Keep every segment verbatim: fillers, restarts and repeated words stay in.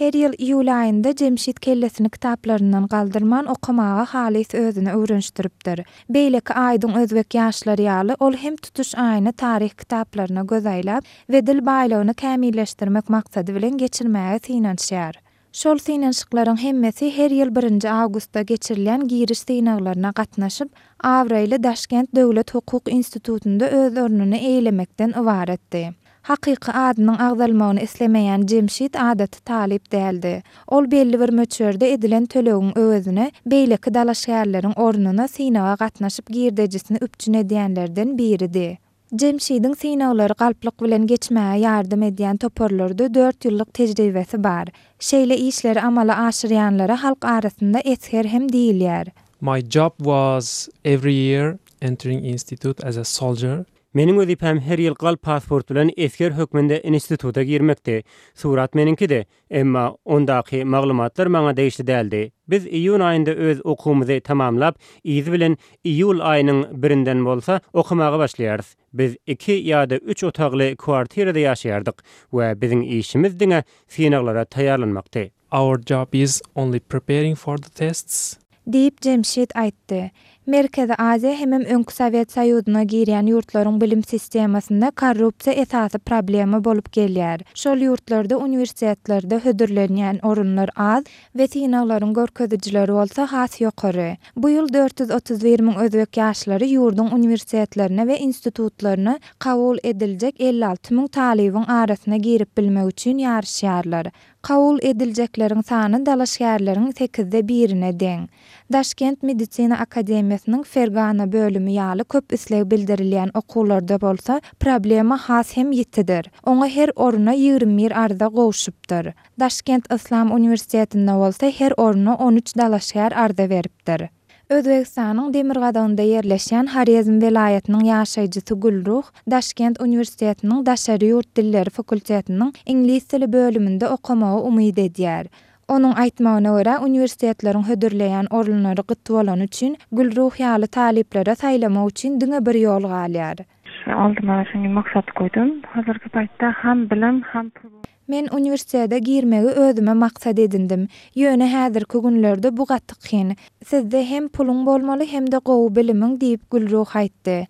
Her ýyl iýul aýynda Jemşit kellesini kitaplaryndan galdyrman okamaga halys özüni öwrenişdiripdir. Beýleki aýdyň özbek ýaşlary ýaly, ol hem tutuş aýyny taryh kitaplaryna göz aýlap we dil baýlygyny kämilleşdirmek maksady bilen geçirmäge synanyşýar. Şol synanyşyklaryň hemmesi her ýyl birinji awgustda geçirilýän giriş synaglaryna gatnaşyp, abraýly Daşkent döwlet hukuk institutynda öz ornuny eýelemekden ybaratdy. Hakyky adynyň agzalmagyny islemeýän Jemşit adaty talyp däldi. Ol belli bir möçberde edilen tölegiň öwezine beýleki dalaşgärleriň ornuna synaga gatnaşyp girdejisini üpjün edýänlerden biridi. Jemşidiň synaglary galplyk bilen geçmäge ýardam edýän toparlarda dört ýyllyk tejribesi bar. Şeýle işleri amala aşyrýanlara halk arasynda esger hem diýilýär. My job was every year entering institute as a soldier. Meniň wezipäm her ýyl galp pasport bilen esger hökmünde instituta girmekdi. Surat meniňkidi, emma ondaky maglumatlar maňa degişli däldi. Biz iýun aýynda öz okuwymyzy tamamlap, yzy bilen iýul aýynyň birinden bolsa okamaga başlaýarys. Biz iki ýa-da üç otagly kwartirada ýaşaýardyk we biziň işimiz diňe synaglara taýýarlanmakdy. Our job is only preparing for the tests. Diýip Jemşit aýtdy. Merkezi Aziýa hemem öňki Sowet Soýuzyna girýän ýurtlaryň bilim sistemasynda korrupsiýa esasy problema bolup gelýär. Şol ýurtlarda uniwersitetlerde hödürlenýän orunlar az we synaglaryň görkezijileri bolsa has ýokary. Bu ýyl dört ýüz otuz bir müň özbek ýaşlary ýurduň uniwersitetlerine we institutlaryna kabul ediljek elli alty müň talybyň arasyna girip bilmek üçin ýaryşýarlar. Kabul ediljekleriň sany dalaşgärleriň sekizde birine deň. Daşkent Medisina Akademiýasynyň Fergana bölümi ýaly köp isleg bildirilýän okuwlarda bolsa problema has hem ýitidir. Oňa her oruna ýigrimi bir arza gowşupdyr. Daşkent Islam Uniwersitetinde bolsa her oruna on üç dalaşgär arza beripdir. Özbegistanyň demirgazygynda ýerleşýän Horezm welaýatynyň ýaşaýjysy Gülruh Daşkent Uniwersitetiniň daşary ýurt dilleri fakultetiniň iňlis dili bölüminde okamagy umyt edýär. Onuň aýtmagyna görä, uniwersitetleriň hödürleýän orunlary gyt bolany üçin Gülruh ýaly talyplara saýlamak üçin diňe bir ýol galýar. Aldyma şuny maksat goýdum. Hazırky paýtda ham bilim, ham pul. Men uniwersitete girmegi özüme maksat edindim. Ýöne häzirki günlerde bu gaty kyn. Sizde hem puluň bolmaly, hem-de gowy bilimiň diýip Gülruh aýtdy.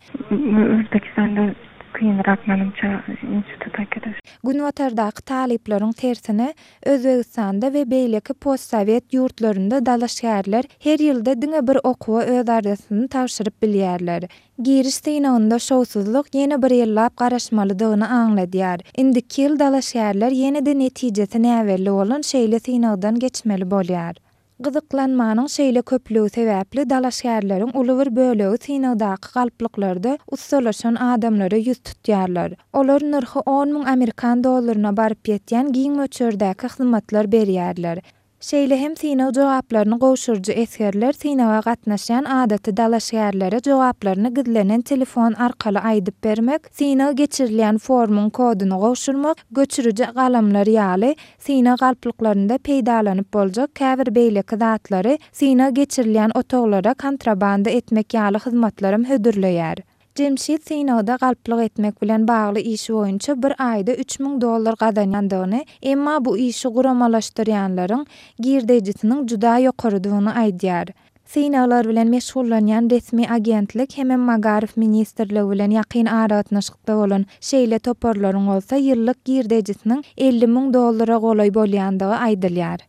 Özbekistanda kynrak menimçe instituta giriş. Günbatardaky talyplaryň tersine Özbegistanda we beýleki postsowet ýurtlarynda dalaşgärler her ýylda diňe bir okuwa öz arzasyny tabşyryp bilýärler. Giriş synagynda şowsuzlyk ýene bir ýyllap garaşmalydygyny aňladýar. Indiki ýyl dalaşgärler ýene-de netijesi näbelli bolan şeýle synagdan geçmeli bolýar. Gyzyklanmanyň şeýle köplügi sebäpli dalaşgärleriň uly bir bölegi synagdaky galplyklarda ussalaşan adamlara ýüz tutýarlar. Olar nyrhy on müň amerikan dollaryna baryp ýetýän giň möçberdäki hyzmatlar berýärler. Şeýle hem synag jogaplaryny gowşuryjy esgerler synaga gatnaşýan adaty dalaşgärlere jogaplaryny gizlenen telefon arkaly aýdyp bermek, synag geçirilýän formuň koduny gowşurmak, göçüriji galamlar ýaly synag galplyklarynda peýdalanyp boljak käbir beýleki zatlary synag geçirilýän otaglara kontrabanda etmek ýaly hyzmatlaram hödürleýär. Jemşit synagda galplyk etmek bilen bagly işi boýunça bir aýda üç müň dollar gazanýandygyny, emma bu işi guramalaşdyrýanlaryň girdejisiniň juda ýokarydygyny aýdýar. Synaglar bilen meşgullanýan resmi agentlik hemem Magaryf ministrligi bilen ýakyn aragatnaşykda bolan şeýle toparlaryň bolsa ýyllyk girdejisiniň elli müň dollara golaý bolýandygy aýdylýar.